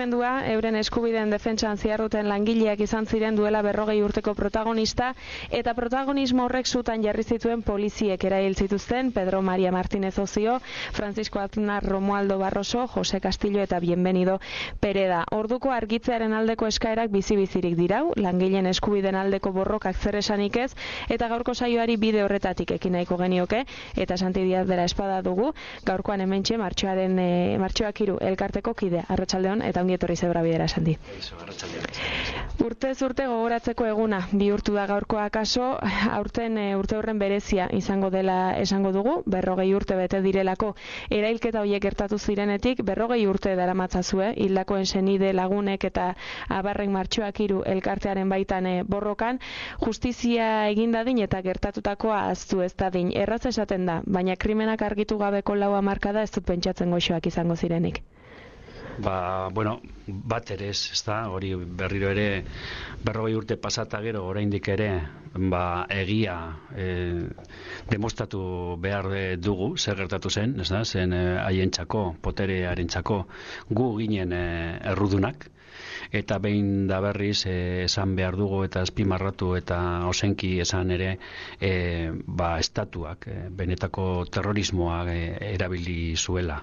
mugimendua euren eskubideen defentsan ziarruten langileak izan ziren duela 40 urteko protagonista, eta protagonismo horrek zutan jarri zituen poliziek erail zituzten Pedro María Martínez Ocio, Francisco Aznar Romualdo Barroso, Jose Castillo eta Bienvenido Pereda. Orduko argitzearen aldeko eskaerak bizi-bizirik dirau, langileen eskubideen aldeko borrokak zer esanik ez, eta gaurko saioari bide horretatik ekin nahiko genioke, eta Santi Díaz de la Espada dugu, gaurkoan hementxe Martxoak 3 elkarteko kidea. Arratsaldeon eta ongi etorri Zebra Bidera, Santi. Urtez urte gogoratzeko eguna bihurtu da gaurkoa kaso, aurten urte horren berezia izango dela esango dugu, 40 urte bete direlako erailketa horiek gertatu zirenetik, 40 urte daramatzazue, hildakoen senide lagunek eta abarrek Martxoak 3 elkartearen baitan borrokan, justizia egin dadin eta gertatutakoa ahaztu ez dadin. Erraz esaten da, baina krimenak argitu gabeko 4 hamarkada ez dut pentsatzen goxoak izango zirenik. Bat ere ez da, hori berriro ere 40 urte pasata gero oraindik ere egia demostratu behar dugu zer gertatu zen, ez da, zen haientzako, poterearentzako gu ginen errudunak, eta behin da berriz esan behar dugu eta azpimarratu eta ozenki esan ere estatuak benetako terrorismoa erabili zuela.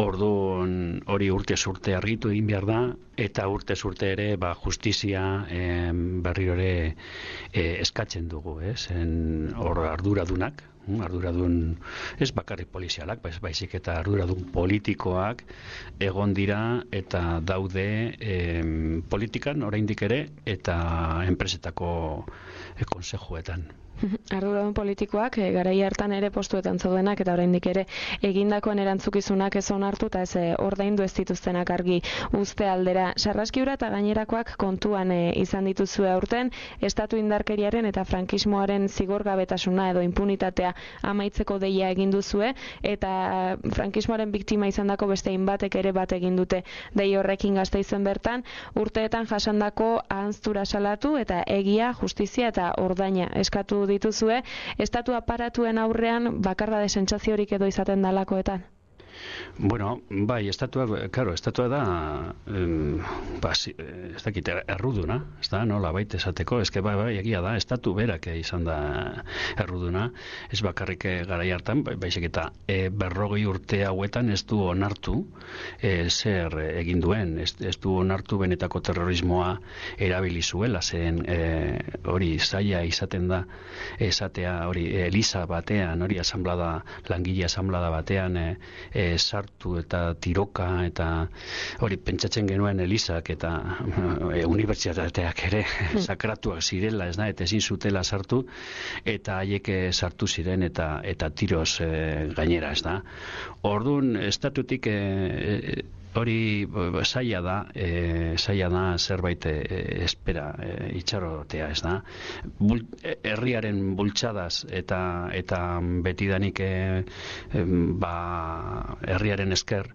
Orduan hori urtez urte argitu egin behar da, eta urtez urte ere justizia berriro ere eskatzen dugu, hor arduradunak, arduradun ez bakarrik polizialak, baizik eta arduradun politikoak egon dira eta daude politikan oraindik ere eta enpresetako konsejuetan. Arduradun politikoak garai hartan ere postuetan zaudenak eta oraindik ere egindakoen erantzukizunak ez onartu eta ez ordaindu ez dituztenak argi uzte aldera. Sarraskiura eta gainerakoak kontuan izan dituzue aurten, estatu indarkeriaren eta frankismoaren zigorgabetasuna edo impunitatea amaitzeko deia egin duzue, eta frankismoaren biktima izandako beste hainbatek ere bat egin dute dei horrekin Gasteizen bertan, urteetan jasandako ahanztura salatu eta egia, justizia eta ordaina eskatu dituzue, estatu aparatuen aurrean bakardade sentsaziorik edo izaten dalakoetan? Bai, estatua da ez dakit erruduna, ez da, nola baita esateko, bai, egia da, estatu berak izan da erruduna, ez bakarrik garai hartan, baizik eta 40 urte hauetan ez du onartu zer egin duen, ez du onartu benetako terrorismoa erabili zuela, zen hori zaila izaten da, esatea hori eliza batean, hori langile asamblada batean sartu eta tiroka eta hori pentsatzen genuen elizak eta unibertsitateak ere sakratuak zirela, ez da, eta ezin zutela sartu eta haiek sartu ziren eta tiroz gainera, ez da. Orduan estatutik hori zaila da zerbait espera itxarotea, ez da. Herriaren bultxadaz eta betidanik herriaren esker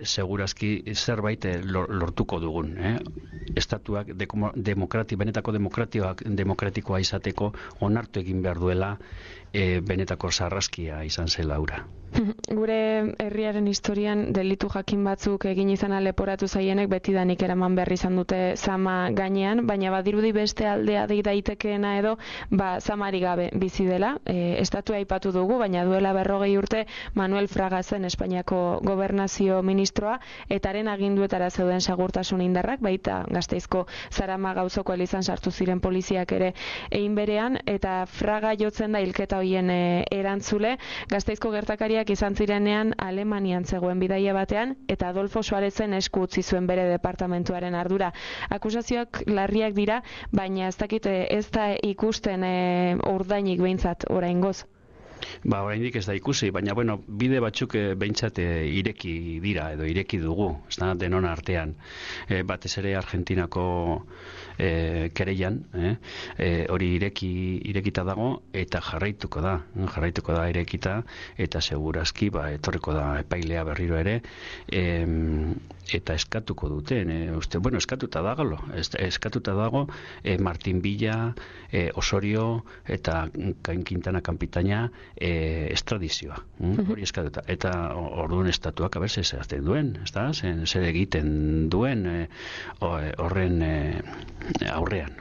segurazki zerbait lortuko dugun. Estatuak benetako demokratikoa izateko onartu egin behar duela benetako sarraskia izan zela hura. Gure herriaren historian delitu jakin batzuk egin izana leporatu zaienek betidanik eraman behar izan dute zama gainean, baina badirudi beste aldea dei daitekeena edo zamari gabe bizi dela. Estatua aipatu dugu, baina duela 40 urte Manuel Fraga zen Espainiako gobernazio ministroa, eta haren aginduetara zeuden segurtasun indarrak, baita Gasteizko Zarama gauzoko elizan sartu ziren poliziak ere egin berean, eta Fraga jotzen da hilketa hoien erantzule. Gasteizko gertakariak izan zirenean Alemanian zegoen bidaia batean, eta Adolfo Suarezen esku utzi zuen bere departamentuaren ardura. Akusazioak larriak dira, baina ez dakit ez da ikusten ordainik behintzat oraingoz. Oraindik ez da ikusi, baina bide batzuk behintzat ireki dira edo ireki dugu, ez da, denon artean. Batez ere Argentinako kereian, hori irekita dago eta jarraituko da irekita, eta segurazki etorriko da epailea berriro ere, eta eskatuko duten, eskatuta dago Martin Villa, Osorio eta Quintana Kanpitaina estradizioa, hori eskatuta. Eta orduan estatuak aber zehazten duen, ezta? Zer egiten duen horren aurrean.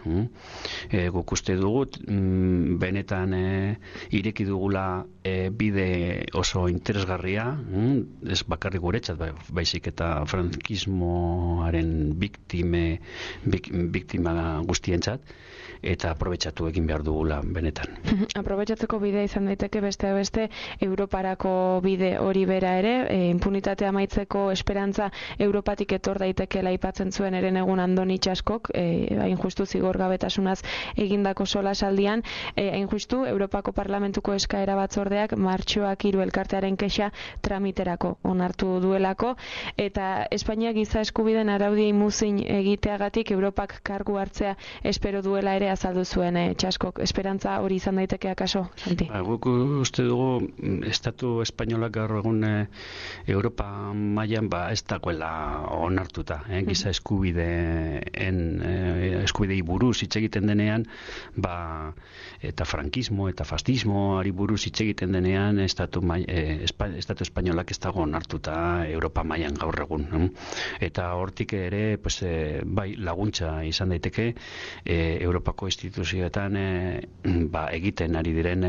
Guk uste dugut, benetan ireki dugula bide oso interesgarria, ez bakarrik guretzat, baizik eta frankismoaren biktima guztientzat, eta aprobetxatu egin behar dugula benetan. Aprobetxatzeko bidea izan daiteke beste Europarako bide hori bera ere, impunitatea amaitzeko esperantza Europatik etor daitekeela aipatzen zuen eren egun Andoni Txaskok, hain justu zigorgabetasunaz egindako solasaldian, hain justu Europako Parlamentuko eskaera batzordeak martxoak 3 elkartearen kexa tramiterako onartu duelako, eta Espainiak giza eskubideen araudiei muzin egiteagatik Europak kargu hartzea espero duela ere azaldu zuen Txaskok. Esperantza hori izan daiteke akaso, Santi? Guk uste dugu Estatu Espainolak gaur egun Europa mailan ez dagoela onartuta. Giza eskubidei buruz hitz egiten denean, eta frankismo eta fascismoari buruz hitz egiten denean, Estatu Espainolak ez dago onartuta Europa mailan gaur egun. Eta hortik ere bai laguntza izan daiteke Europako instituzioetan egiten ari diren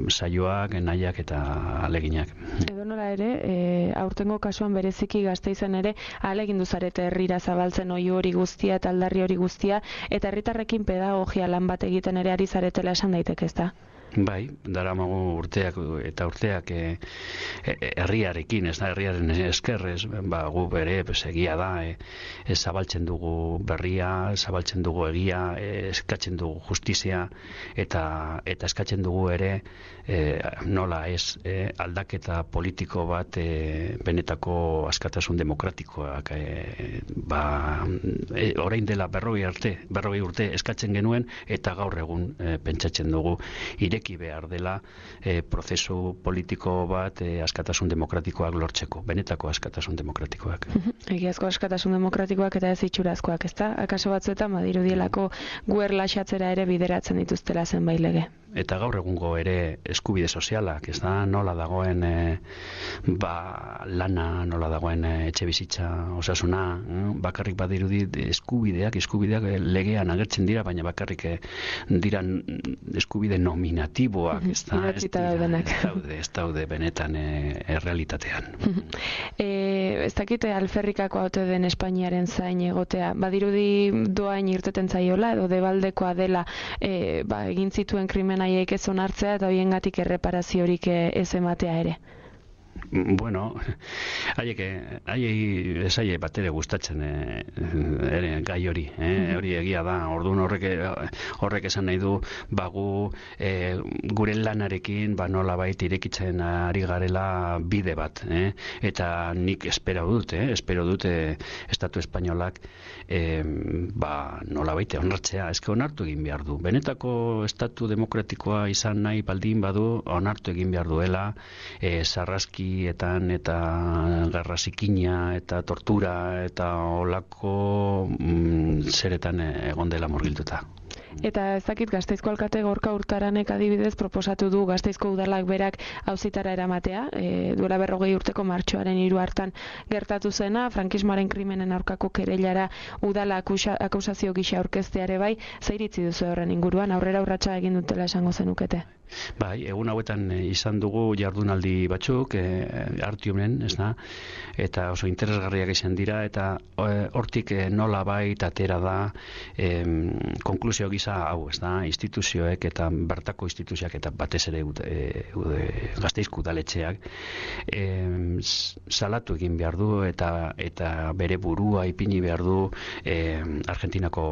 saioak, nahiak eta aleginak. Edonola ere, aurtengo kasuan bereziki Gasteizen ere ahalegindu zarete herrira zabaltzen oihu hori guztia eta aldarri hori guztia, eta herritarrekin pedagogia lan bat egiten ere ari zaretela esan daiteke, ezta? Bai, daramagu urteak herriarekin, ez da, herriaren eskerrez, gu bere, egia da, zabaltzen dugu berria, zabaltzen dugu egia, eskatzen dugu justizia, eta eskatzen dugu ere, nola ez, aldaketa politiko bat benetako askatasun demokratikoak, orain dela 40 urte eskatzen genuen, eta gaur egun pentsatzen dugu ireki behar dela prozesu politiko bat askatasun demokratikoak lortzeko, benetako askatasun demokratikoak. Egiazko askatasun demokratikoak eta ez itxurazkoak, ezta? Akaso batzuetan badirudielako guer laxatzera ere bideratzen dituztela zenbait lege. Eta gaur egungo ere eskubide sozialak, ez da, nola dagoen lana, nola dagoen etxe bizitza, osasuna, bakarrik badirudi eskubideak legean agertzen dira, baina bakarrik dira eskubide nominatiboak, ez daude benetan errealitatean. Ez dakite alferrikako haute den Espainiaren zain egotea, badirudi doain irteten zaiola, edo debaldekoa dela egin zituen krimen haiek ez onartzea eta hoiengatik erreparaziorik ez ematea ere. Bueno, haiei bat ere gustatzen gai hori, hori egia da. Orduan horrek esan nahi du gu gure lanarekin nolabait irekitzen ari garela bide bat, eta nik espero dut Estatu Espainolak nolabait onartzea, eske onartu egin behar du. Benetako estatu demokratikoa izan nahi baldin badu, onartu egin behar duela sarraski eta garra zikina eta tortura eta olako zeretan egon dela murgilduta. Eta ez dakit Gasteizko alkate Gorka Urtaranek adibidez proposatu du Gasteizko udalak berak auzitara eramatea, duela 40 urteko martxoaren 3 hartan gertatu zena, frankismoaren krimenen aurkako kereilara udala akusazio gisa aurkezteare bai, zer iritzi duzu horren inguruan, aurrera urratsa egin dutela esango zenukete? Bai, egun hauetan izan dugu jardunaldi batzuk, Artiumen, ez da, eta oso interesgarriak izan dira, eta hortik nolabait atera da konklusio gisa hau, ez da, instituzioek eta bertako instituzioak eta batez ere Gasteizko udaletxeak salatu egin behar du eta bere burua ipini behar du Argentinako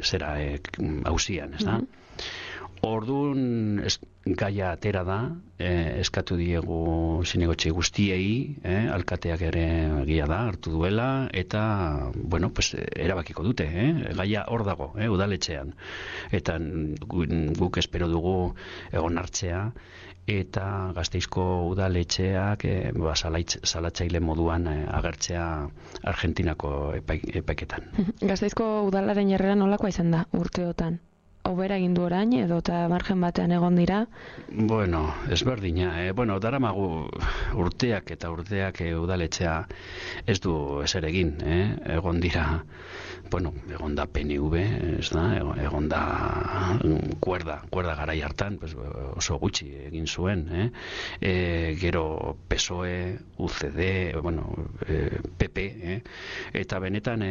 zera auzian, ez da? Orduan gaia atera da, eskatu diegu zinegotxe guztiei, alkateak ere egia da, hartu duela, eta, erabakiko dute, gaia hor dago, udaletxean. Eta guk espero dugu egon hartzea, eta Gasteizko udaletxeak salatzaile moduan agertzea Argentinako epaiketan. Gasteizko udalaren jarrera nolakoa izan da urteotan? hobera egin du orain edo eta margen batean egon dira? Bueno, ezberdina. Daramagu urteak eta urteak udaletxea ez du ezer egin, egon dira, egon da PNV, ez da, egon da kuerda garai hartan, oso gutxi egin zuen, gero PSOE, UCD, PP, eta benetan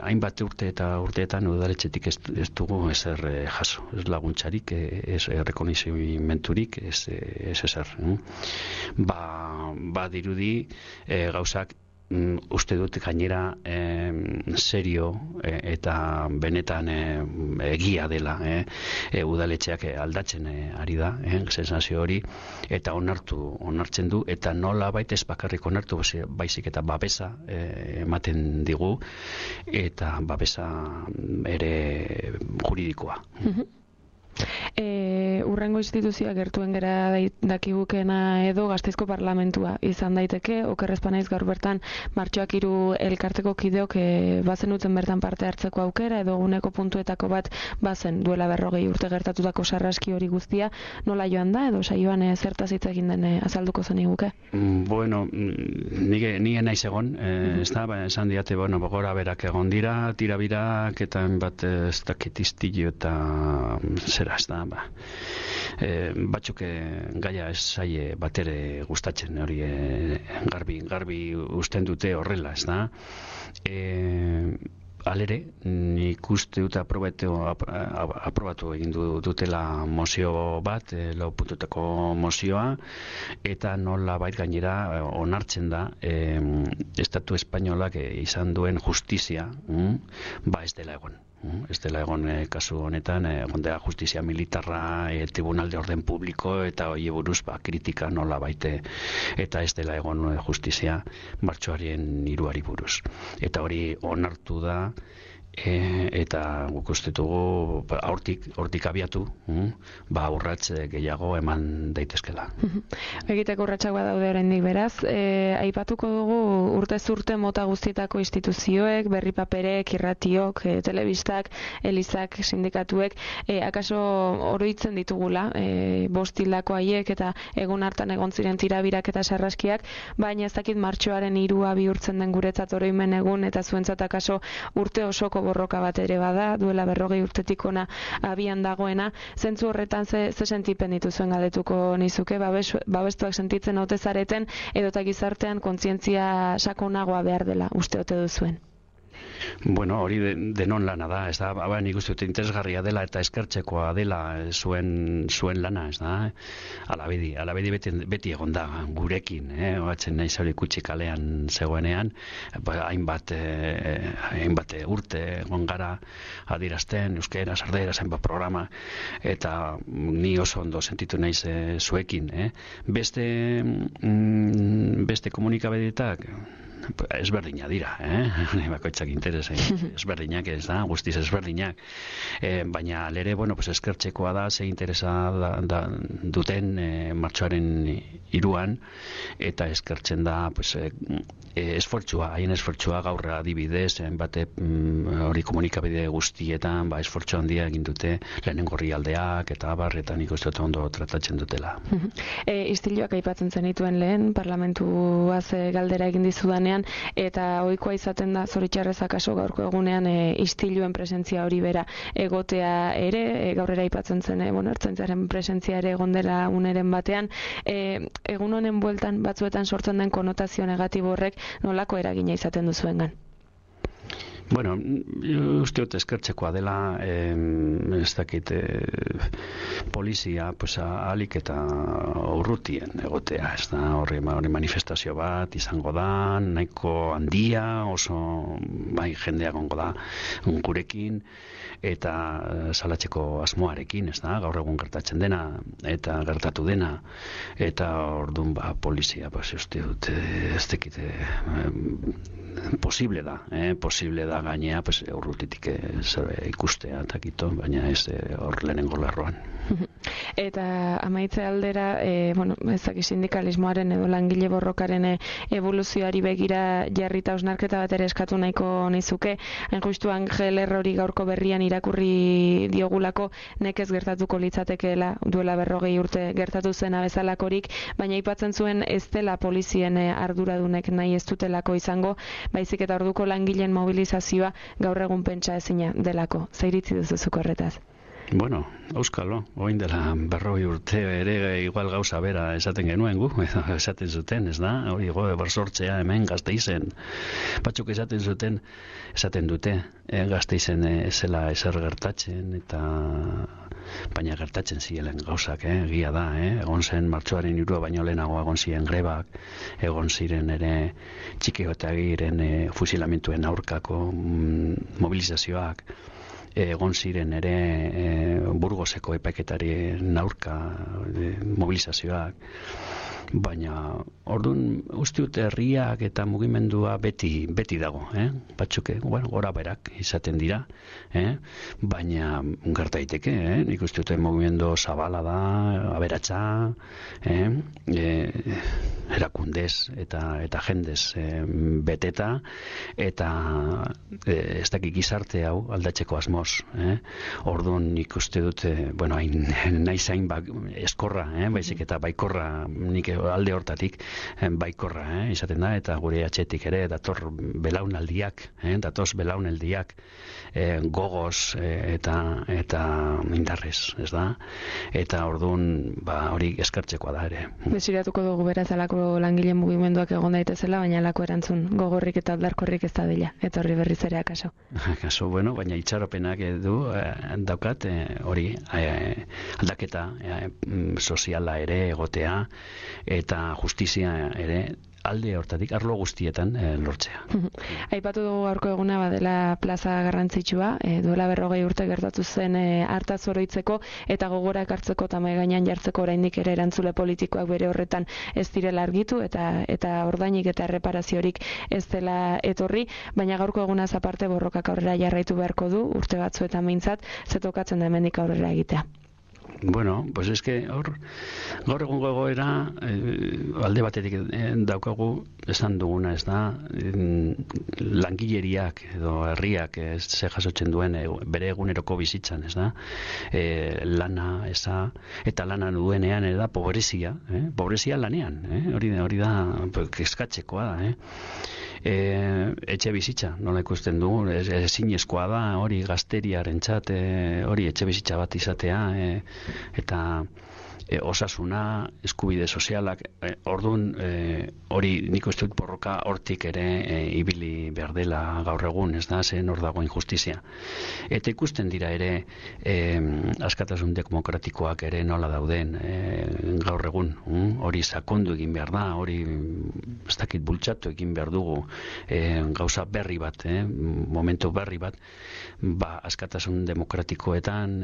hainbat urte eta urteetan udaletxetik ez dugu ezer jaso, ez laguntzarik, ez rekonozimenturik, ez ezer. Dirudi gauzak uste dut gainera serio eta benetan egia dela udaletxeak aldatzen ari da, sensazio hori, eta onartzen du, eta nola baita ez bakarrik onartu, baizik eta babesa ematen digu, eta babesa ere juridikoa. Urrengo instituzioak gertuen gera dakigukena edo Gasteizko parlamentua izan daiteke, okerrezpa naiz gaur bertan Martxoak 3 elkarteko kideok bazenuten bertan parte hartzeko aukera edo eguneko puntuetako bat bazen duela 40 urte gertatutako sarraski hori guztia, nola joan da edo saioan zertaz hitz egin den azalduko zeniguke? Bueno, nire naiz egon, ez da, esan diate, gora berak egon dira, tirabirak eta bat ez dakit istillo eta zera, ez da, batzuk gaia ez zaie batere gustatzen hori garbi usten dute horrela, ez da. Alere, nik uste dut aprobatu egin dutela mozio bat, lau puntutako mozioa, eta nola bait gainera onartzen da Estatu Espainolak izan duen justizia, ez dela egon. Ez dela egon kasu honetan, egon dela justizia militarra, tribunal de orden publiko, eta hori buruz kritika nola baite, eta ez dela egon justizia martxoaren 3 buruz. Eta hori onartu da, eta guk uste dugu hortik abiatu, urrats gehiago eman daitezkela. Egiteko urratsak badaude oraindik beraz, aipatuko dugu urtez urte mota guztietako instituzioek, berri paperek, irratiok, telebistak, elizak, sindikatuek, akaso oroitzen ditugula, bostildako haiek eta egun hartan egon ziren tirabirak eta sarraskiak, baina ez dakit martxoaren 3 bihurtzen den guretzat oroimen egun eta zuentzat akaso urte osoko borroka bat ere bada, duela 40 urtetik ona abian dagoena, zentzu horretan ze sentipen dituzuen galdetuko nizuke, babestuak sentitzen ote zareten, edota gizartean kontzientzia sakonagoa behar dela, uste ote duzuen? Bueno, hori denon lana da, ez da, nik uste dut interesgarria dela eta eskertzekoa dela zuen lana, ez da, alabedi beti egon da gurekin, oatzen nahi zauri kutsi kalean zegoenean, hainbat urte egon gara adirazten, euskera, sardera, hainbat programa, eta ni oso ondo sentitu naiz zuekin, beste komunikabideetak, ezberdina dira, bakoitzak interesa ezberdinak, ez da, guztiz ezberdinak, baina alere, eskertzekoa da, ze interesa duten martxoaren 3 eta eskertzen da haien esfortzua gaur adibidez, hori komunikabide guztietan, esfortzu handia egin dute lehenengo orrialdeak eta eta nik uste ondo tratatzen dutela. Istiluak aipatzen zenituen lehen, parlamentuaz galdera egin dizudanean, eta ohikoa izaten da zoritxarrez akaso gaurko egunean istiluen presentzia hori bera egotea ere, gaurrera aipatzen zen ertzaintzaren presentzia ere egon dela uneren batean, egun honen bueltan batzuetan sortzen den konotazio negatibo horrek nolako eragina izaten duzuengan? Bueno, uste dut eskertzekoa dela, ez dakit, polizia, ahalik eta urrutien egotea, ez da, horri manifestazio bat izango da, nahiko handia, oso jendea gongo da gurekin, eta salatzeko asmoarekin, ez da, gaur egun gertatzen dena, eta gertatu dena, eta orduan polizia, uste dut, ez dakit, posible da gainea urrutitik ikustea, baina ez hor lehenengo lerroan. Eta amaitze aldera, ezak sindikalismoaren edo langile borrokaren evoluzioari begira jarrita osnarketa bat ere eskatu nahiko nizuke. Hain justu Angel Errori gaurko berrian irakurri diogulako nekez gertatuko litzatekeela duela 40 urte gertatu zena bezalakorik, baina aipatzen zuen ez dela polizien arduradunek nahi ez dutelako izango, baizik eta orduko langileen mobilizazioa gaur egun pentsa ezina delako. Zer iritzi duzuzuk horretaz? Bueno, auskalo, oin dela 40 urte ere igual gauza bera esaten genuen gu, esaten zuten, ez da? Hori bersortzea hemen Gasteizen. Batzuk esaten dute, Gasteizen zela ezer gertatzen, eta baina gertatzen ziren gauzak, egia da, egon zen martxoaren 3 baino lehenago egon ziren grebak, egon ziren ere txikiotagiren fusilamentuen aurkako mobilizazioak, egon ziren ere Burgoseko epaiketarien aurka mobilizazioak, baina orduan uste dut herriak eta mugimendua beti dago, batzuk gora berak izaten dira, baina gerta daiteke, nik uste dut mugimendu zabala da, aberatsa, erakundez eta jendez beteta, eta ez dakik gizarte hau aldatzeko asmoz, orduan nik uste dut, nahi zain eskorra, baizik eta baikorra, nik alde hortatik baikorra izaten da, eta gure atxetik ere datoz belaunaldiak gogoz eta indarrez, ez da? Eta orduan hori eskartzekoa da ere. Desiratuko dugu beraz alako langile mugimenduak egon daitezela, baina alako erantzun gogorrik eta aldarkorrik ez da dela, etorri berriz ere akaso. Akaso, baina itxaropenak daukat hori aldaketa soziala ere egotea, eta justizia ere alde hortatik, arlo guztietan lortzea. Aipatu dugu gaurko eguna badela plaza garrantzitsua, duela 40 urte gertatu zen hartaz oroitzeko eta gogorak hartzeko eta mahai gainean jartzeko oraindik ere erantzule politikoak bere horretan ez direla argitu eta ordainik eta erreparaziorik ez dela etorri, baina gaurko egunaz aparte borrokak aurrera jarraitu beharko du urte batzuetan behintzat, ze tokatzen da hemendik aurrera egitea. Bueno, pues es que gaur egungo egoera alde batetik daukagu esan duguna, ez da, langileriak edo herriak ze jasotzen duen bere eguneroko bizitzan, ez da, lana eza, eta lana duenean da pobrezia, pobrezia lanean, hori da kezkatzekoa da, etxe bizitza, nola ikusten dugu, ezinezkoa da, hori gazteriarentzat, hori etxe bizitza bat izatea, eta osasuna, eskubide sozialak, orduan hori nik uste dut borroka hortik ere ibili behar dela gaur egun, ez da, zen hor dago injustizia. Eta ikusten dira ere askatasun demokratikoak ere nola dauden gaur egun, hori sakondu egin behar da, hori ez dakit bultzatu egin behar dugu gauza berri bat, momentu berri bat, askatasun demokratikoetan,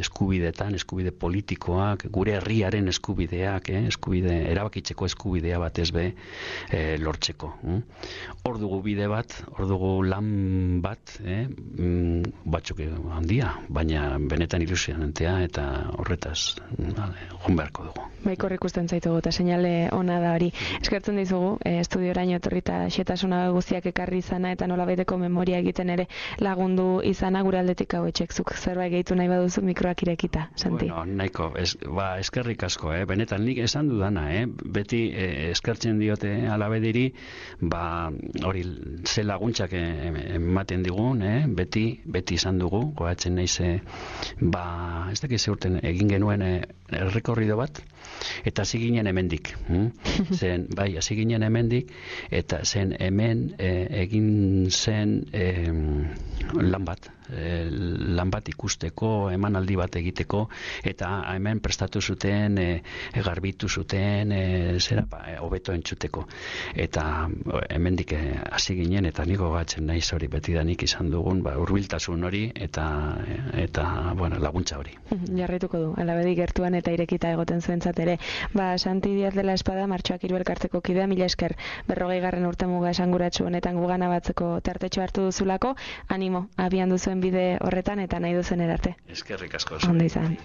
eskubideetan, eskubide politikoak, gure herriaren eskubideak, erabakitzeko eskubidea batez be lortzeko. Hor dugu bide bat, hor dugu lan bat, batzuk handia, baina benetan ilusionantea eta horretaz joan beharko dugu. Baikor ikusten zaitugu eta seinale ona da hori. Eskertzen dizugu, estudioraino etorrita xetasuna guztiak ekarri izana eta nolabaiteko memoria egiten ere lagundu izana gure aldetik hau etxekzuk. Zerbait gehitu nahi baduzu mikroak irekita, Santi. Bueno, nahiko, eskerrik asko, benetan nik esan dudana, beti eskertzen diote alabediri, hori ze laguntzak ematen digun, beti izan dugu, goatzen naiz, ez dakiz urten egin genuen errekorrido bat, eta hasi ginen hemendik. Hasi ginen hemendik, eta zen hemen egin zen lan bat ikusteko, emanaldi bat egiteko, eta hemen prestatu zuten, garbitu zuten, hobeto entzuteko. Eta hemendik hasi ginen, eta niko gatzen naiz hori betidanik izan dugun, hurbiltasun hori, eta laguntza hori. Jarraituko du, alabedi gertuan eta irekita egoten zuentzat ere. Santi Díaz de la Espada, Martxoak 3 elkarteko kidea, mila esker 40. urtemuga esanguratsu honetan gugana batzeko tartetxo hartu duzulako, animo, abian duzuen bide horretan eta nahi duzen erarte. Eskerrik asko. Ondo izan.